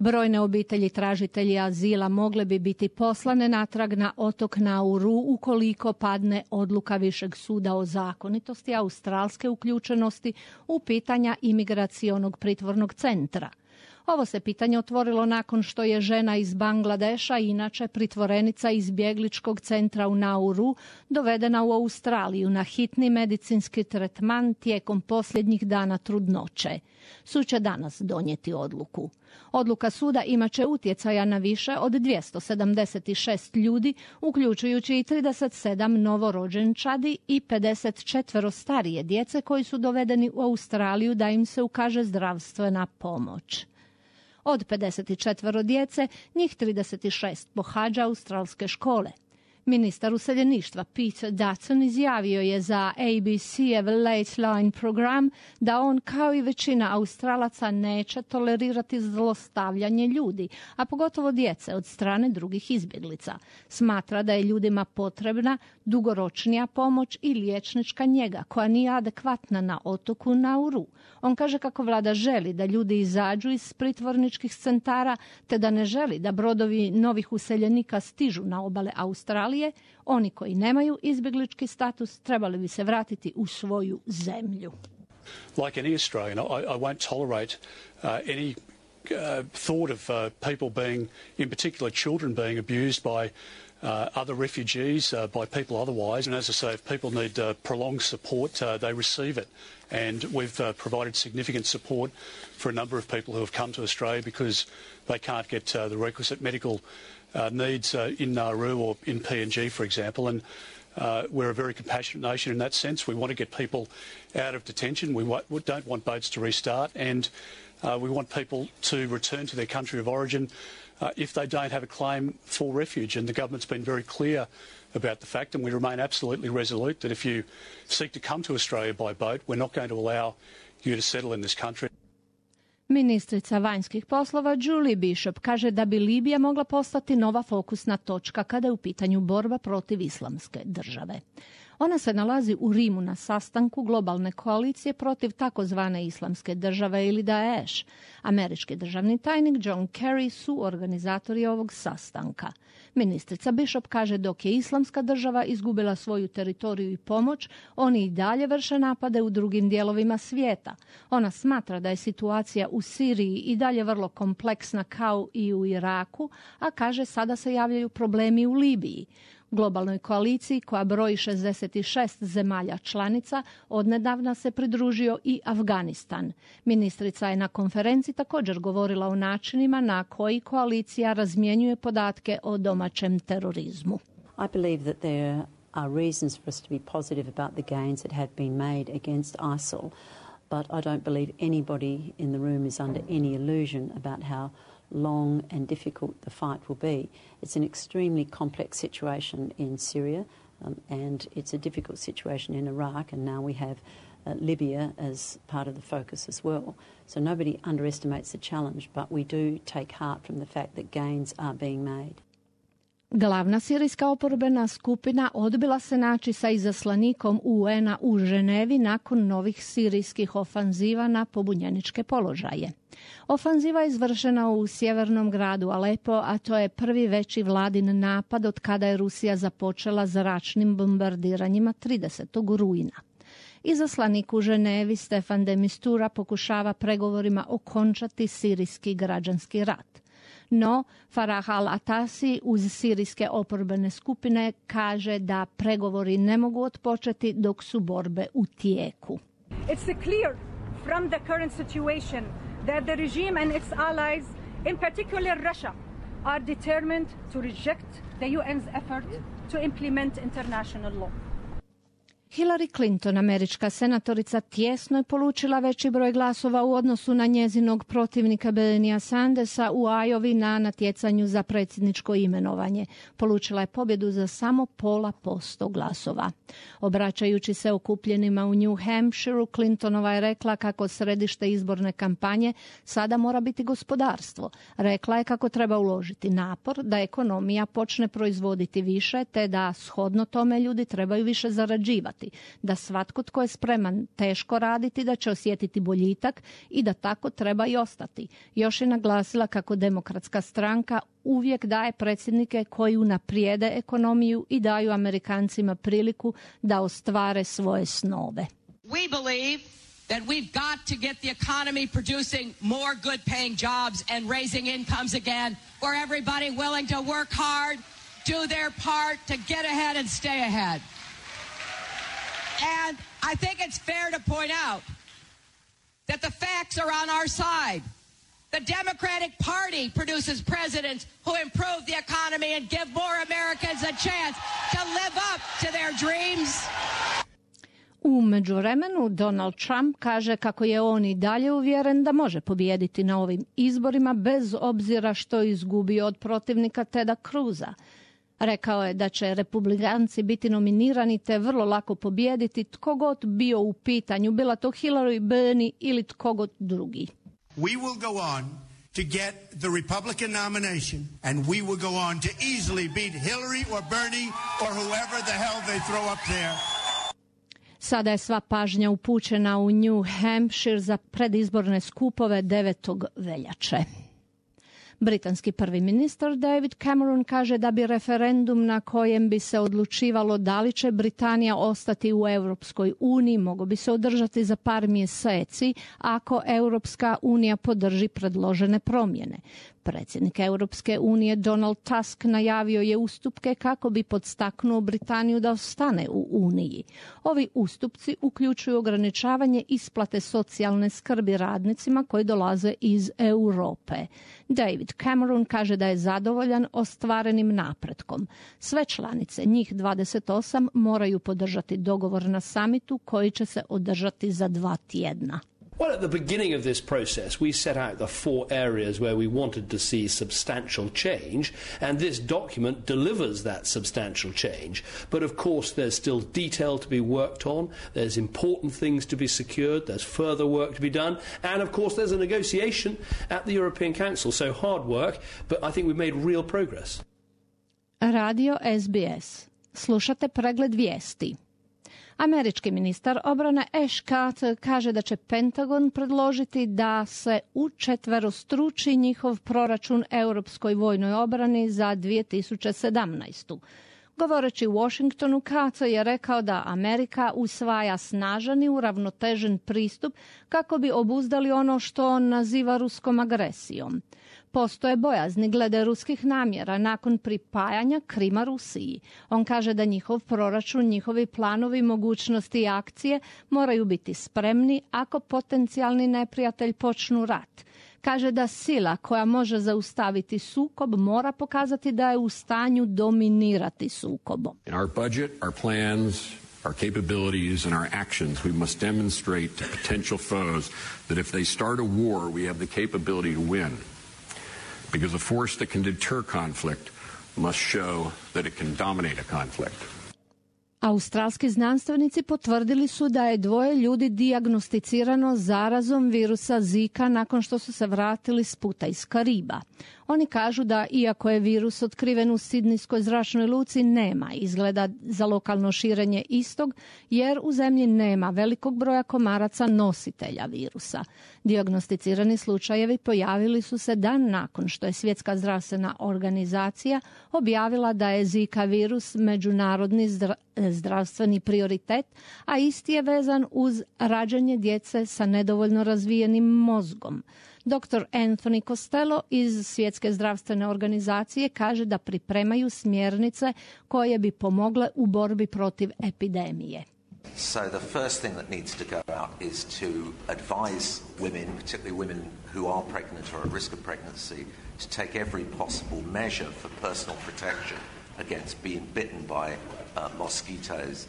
Brojne obitelji tražitelji azila mogle bi biti poslane natrag na otok Nauru ukoliko padne odluka Višeg suda o zakonitosti australske uključenosti u pitanja imigracionog pritvornog centra. Ovo se pitanje otvorilo nakon što je žena iz Bangladeša, inače pritvorenica izbjegličkog centra u Nauru, dovedena u Australiju na hitni medicinski tretman tijekom posljednjih dana trudnoće. Sud će danas donijeti odluku. Odluka suda imat će utjecaja na više od 276 ljudi, uključujući i 37 novorođenčadi i 54 starije djece koji su dovedeni u Australiju da im se ukaže zdravstvena pomoć. Od 54 djece, njih 36 pohađa australske škole. Ministar useljeništva Pete Dutton izjavio je za ABC-ev Late Line program da on kao i većina Australaca neće tolerirati zlostavljanje ljudi, a pogotovo djece od strane drugih izbjeglica. Smatra da je ljudima potrebna dugoročnija pomoć i liječnička njega koja nije adekvatna na otoku Nauru. On kaže kako vlada želi da ljudi izađu iz pritvorničkih centara te da ne želi da brodovi novih useljenika stižu na obale Australije. Oni koji nemaju izbjeglički status trebali bi se vratiti u svoju zemlju. Like any Australian, I won't tolerate any thought of people being, in particular children, being abused by other refugees, by people otherwise. And as I say, if people need prolonged support, they receive it. And we've provided significant support for a number of people who have come to Australia because they can't get the requisite medical needs in Nauru or in PNG, for example. And we're a very compassionate nation in that sense. We want to get people out of detention. We don't want boats to restart. And we want people to return to their country of origin if they don't have a claim for refuge. And the government's been very clear about the fact, and we remain absolutely resolute, that if you seek to come to Australia by boat, we're not going to allow you to settle in this country. Ministrica vanjskih poslova Julie Bishop kaže da bi Libija mogla postati nova fokusna točka kada je u pitanju borba protiv islamske države. Ona se nalazi u Rimu na sastanku globalne koalicije protiv takozvane islamske države ili Daesh. Američki državni tajnik John Kerry su organizatori ovog sastanka. Ministrica Bishop kaže dok je islamska država izgubila svoju teritoriju i pomoć, oni i dalje vrše napade u drugim dijelovima svijeta. Ona smatra da je situacija u Siriji i dalje vrlo kompleksna kao i u Iraku, a kaže sada se javljaju problemi u Libiji. Globalnoj koaliciji koja broji 66 zemalja članica odnedavna se pridružio i Afganistan. Ministrica je na konferenciji također govorila o načinima na koji koalicija razmjenjuje podatke o domaćem terorizmu. I believe that there are reasons for us to be positive about the gains that have been made against ISIL, but I don't believe anybody in the room is under any illusion about how long and difficult the fight will be. It's an extremely complex situation in Syria and it's a difficult situation in Iraq, and now we have Libya as part of the focus as well. So nobody underestimates the challenge, but we do take heart from the fact that gains are being made. Glavna sirijska oporbena skupina odbila se naći sa izaslanikom UN-a u Ženevi nakon novih sirijskih ofanziva na pobunjeničke položaje. Ofanziva je izvršena u sjevernom gradu Alepo, a to je prvi veći vladin napad od kada je Rusija započela zračnim bombardiranjima 30. rujna. Izaslanik u Ženevi Stefan de Mistura pokušava pregovorima okončati sirijski građanski rat. No, Farah al-Atasi uz sirijske oporbene skupine kaže da pregovori ne mogu otpočeti dok su borbe u tijeku. It's clear from the current situation that the regime and its allies, in particular Russia, are determined to reject the UN's effort to implement international law. Hillary Clinton, američka senatorica, tjesno je polučila veći broj glasova u odnosu na njezinog protivnika Bernia Sandersa u Iowi na natjecanju za predsjedničko imenovanje. Polučila je pobjedu za samo 0,5% glasova. Obraćajući se okupljenima u New Hampshireu, Clintonova je rekla kako središte izborne kampanje sada mora biti gospodarstvo. Rekla je kako treba uložiti napor da ekonomija počne proizvoditi više, te da shodno tome ljudi trebaju više zarađivati. znati da svatko tko je spreman teško raditi da će osjetiti boljitak i da tako treba i ostati. Još je naglasila kako Demokratska stranka uvijek daje predsjednike koji unaprijede ekonomiju i daju Amerikancima priliku da ostvare svoje snove. We believe that we've got to get the economy producing more good-paying jobs and raising incomes again for everybody willing to work hard, do their part to get ahead and stay ahead. And I think it's fair to point out that the facts are on our side. The Democratic Party produces presidents who improve the economy and give more Americans a chance to live up to their dreams. U međuvremenu Donald Trump kaže kako je on i dalje uvjeren da može pobijediti na ovim izborima bez obzira što je izgubio od protivnika Teda Cruza. Rekao je da će republikanci biti nominirani te vrlo lako pobijediti tko god bio u pitanju, bila to Hillary, Bernie ili tko god drugi. We will go on to get the Republican nomination and we will go on to easily beat Hillary or Bernie or whoever the hell they throw up there. Sada je sva pažnja upućena u New Hampshire za predizborne skupove 9. veljače. Britanski prvi ministar David Cameron kaže da bi referendum na kojem bi se odlučivalo da li će Britanija ostati u Europskoj uniji mogao bi se održati za par mjeseci ako Europska unija podrži predložene promjene. Predsjednik Europske unije Donald Tusk najavio je ustupke kako bi podstaknuo Britaniju da ostane u Uniji. Ovi ustupci uključuju ograničavanje isplate socijalne skrbi radnicima koji dolaze iz Europe. David Cameron kaže da je zadovoljan ostvarenim napretkom. Sve članice, njih 28, moraju podržati dogovor na samitu koji će se održati za 2 tjedna. Well, at the beginning of this process, we set out the 4 areas where we wanted to see substantial change, and this document delivers that substantial change. But of course, there's still detail to be worked on, there's important things to be secured, there's further work to be done, and of course there's a negotiation at the European Council, so hard work, but I think we've made real progress. Radio SBS. Slušate pregled vijesti. Američki ministar obrane Ash Carter kaže da će Pentagon predložiti da se učetverostruči njihov proračun europskoj vojnoj obrani za 2017. Govoreći u Washingtonu, Carter je rekao da Amerika usvaja snažan i uravnotežen pristup kako bi obuzdali ono što on naziva ruskom agresijom. Postoje bojazni glede ruskih namjera nakon pripajanja Krima Rusiji. On kaže da njihov proračun, njihovi planovi, mogućnosti i akcije moraju biti spremni ako potencijalni neprijatelj počnu rat. Kaže da sila koja može zaustaviti sukob mora pokazati da je u stanju dominirati sukobom. In our budget, our plans, our capabilities and our actions, we must demonstrate to potential foes that if they start a war, we have the capability to win. Because a force that can deter conflict must show that it can dominate a conflict. Australski znanstvenici potvrdili su da je 2 ljudi dijagnosticirano zarazom virusa Zika nakon što su se vratili s puta iz Kariba. Oni kažu da iako je virus otkriven u Sidnijskoj zračnoj luci, nema izgleda za lokalno širenje istog, jer u zemlji nema velikog broja komaraca nositelja virusa. Dijagnosticirani slučajevi pojavili su se dan nakon što je Svjetska zdravstvena organizacija objavila da je Zika virus međunarodni zdravstveni prioritet, a isti je vezan uz rađanje djece sa nedovoljno razvijenim mozgom. Dr. Anthony Costello iz Svjetske zdravstvene organizacije kaže da pripremaju smjernice koje bi pomogle u borbi protiv epidemije. So the first thing that needs to go out is to advise women, particularly women who are pregnant or at risk of pregnancy, to take every possible measure for personal protection against being bitten by mosquitoes.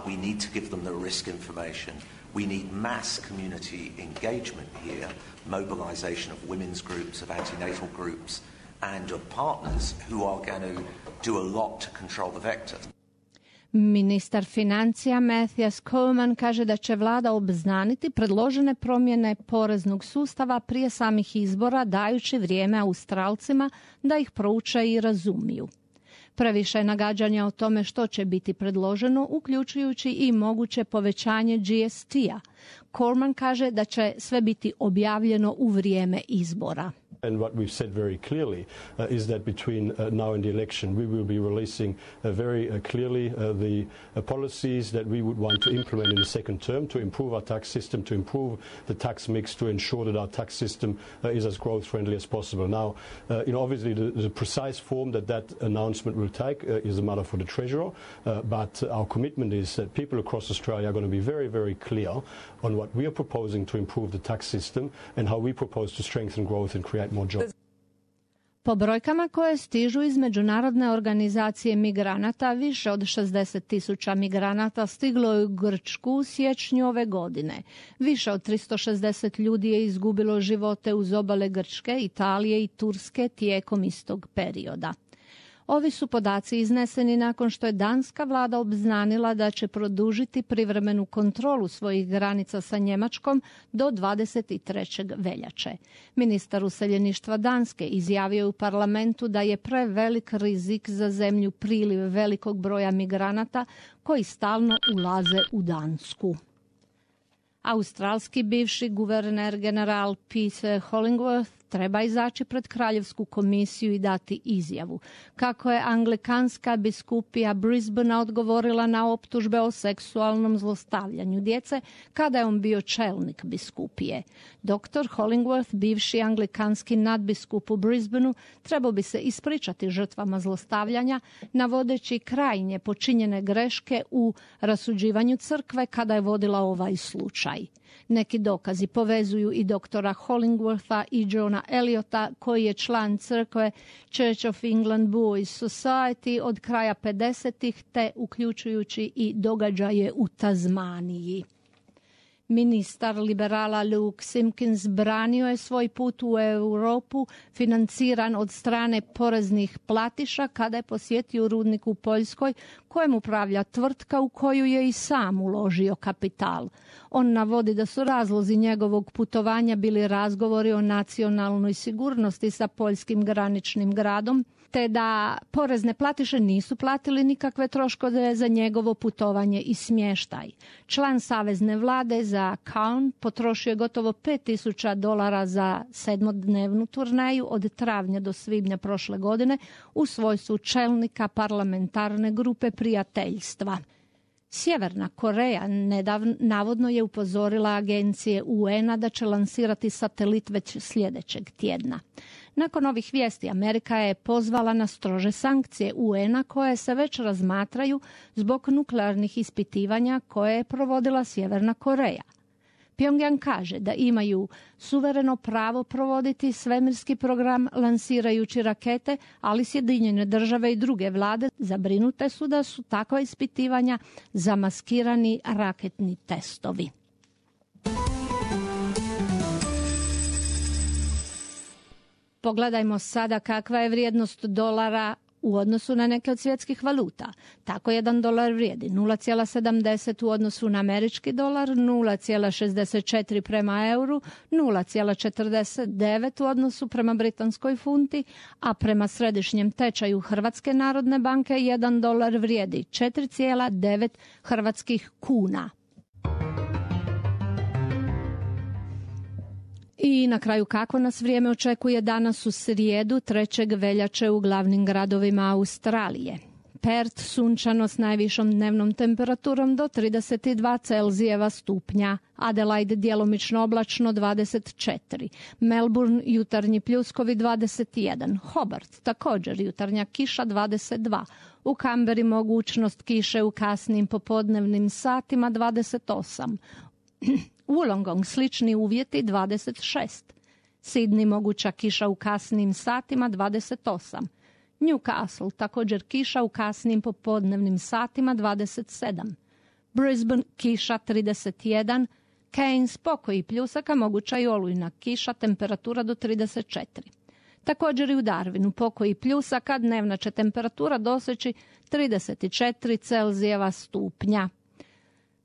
We need to give them the risk information. We need mass community engagement here, mobilization of women's groups, of antenatal groups, and of partners who are going to do a lot to control the vector. Ministar financija Matthias Coleman kaže da će vlada obznaniti predložene promjene poreznog sustava prije samih izbora, dajući vrijeme Australcima da ih prouče i razumiju. Previše je nagađanja o tome što će biti predloženo, uključujući i moguće povećanje GST-a. Cormann kaže da će sve biti objavljeno u vrijeme izbora. And what we've said very clearly is that between now and the election we will be releasing very clearly the policies that we would want to implement in the second term to improve our tax system, to improve the tax mix, to ensure that our tax system is as growth friendly as possible. Now, obviously the precise form that announcement will take is a matter for the Treasurer, but our commitment is that people across Australia are going to be very, very clear on what we are proposing to improve the tax system and how we propose to strengthen growth and create more jobs. Po brojkama koje stižu iz Međunarodne organizacije migranata, više od 60.000 migranata stiglo je u Grčku u siječnju ove godine. Više od 360 ljudi je izgubilo živote uz obale Grčke, Italije i Turske tijekom istog perioda. Ovi su podaci izneseni nakon što je danska vlada obznanila da će produžiti privremenu kontrolu svojih granica sa Njemačkom do 23. veljače. Ministar useljeništva Danske izjavio je u parlamentu da je prevelik rizik za zemlju priliv velikog broja migranata koji stalno ulaze u Dansku. Australski bivši guverner general Peter Hollingworth treba izaći pred Kraljevsku komisiju i dati izjavu. Kako je anglikanska biskupija Brisbanea odgovorila na optužbe o seksualnom zlostavljanju djece kada je on bio čelnik biskupije. Dr. Hollingworth, bivši anglikanski nadbiskup u Brisbaneu, trebao bi se ispričati žrtvama zlostavljanja, navodeći krajnje počinjene greške u rasuđivanju crkve kada je vodila ovaj slučaj. Neki dokazi povezuju i doktora Hollingwortha i Johna Eliota, koji je član crkve Church of England Boys Society od kraja 50-ih, te uključujući i događaje u Tazmaniji. Ministar liberala Luke Simkins branio je svoj put u Europu financiran od strane poreznih platiša kada je posjetio rudnik u Poljskoj kojem upravlja tvrtka u koju je i sam uložio kapital. On navodi da su razlozi njegovog putovanja bili razgovori o nacionalnoj sigurnosti sa poljskim graničnim gradom, te da porezne platiše nisu platili nikakve troškove za njegovo putovanje i smještaj. Član savezne vlade za Cairn potrošio je gotovo $5,000 za 7-dnevnu turneju od travnja do svibnja prošle godine u svojstvu čelnika parlamentarne grupe prijateljstva. Sjeverna Koreja navodno je upozorila agencije UN-a da će lansirati satelit već sljedećeg tjedna. Nakon ovih vijesti Amerika je pozvala na strože sankcije UN-a koje se već razmatraju zbog nuklearnih ispitivanja koje je provodila Sjeverna Koreja. Pyongyang kaže da imaju suvereno pravo provoditi svemirski program lansirajući rakete, ali Sjedinjene države i druge vlade zabrinute su da su takva ispitivanja zamaskirani raketni testovi. Pogledajmo sada kakva je vrijednost dolara u odnosu na neke od svjetskih valuta. Tako $1 vrijedi 0,70 u odnosu na američki dolar, 0,64 prema euru, 0,49 u odnosu prema britanskoj funti, a prema središnjem tečaju Hrvatske narodne banke $1 vrijedi 4,9 hrvatskih kuna. I na kraju kako nas vrijeme očekuje danas u srijedu 3. veljače u glavnim gradovima Australije. Perth sunčano s najvišom dnevnom temperaturom do 32 Celzijeva stupnja, Adelaide djelomično oblačno 24, Melbourne jutarnji pljuskovi 21, Hobart također jutarnja kiša 22, u Canberri mogućnost kiše u kasnim popodnevnim satima 28, Wollongong slični uvjeti 26, Sydney moguća kiša u kasnim satima 28, Newcastle također kiša u kasnim popodnevnim satima 27, Brisbane kiša 31, Cairns pokoj i pljusaka moguća i olujna kiša, temperatura do 34. Također i u Darwinu pokoj i pljusaka, dnevna će temperatura doseći 34 Celzijeva stupnja.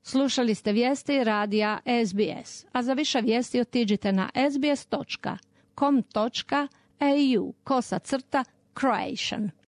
Slušali ste vijesti radija SBS, a za više vijesti otiđite na sbs.com.au/Croatian.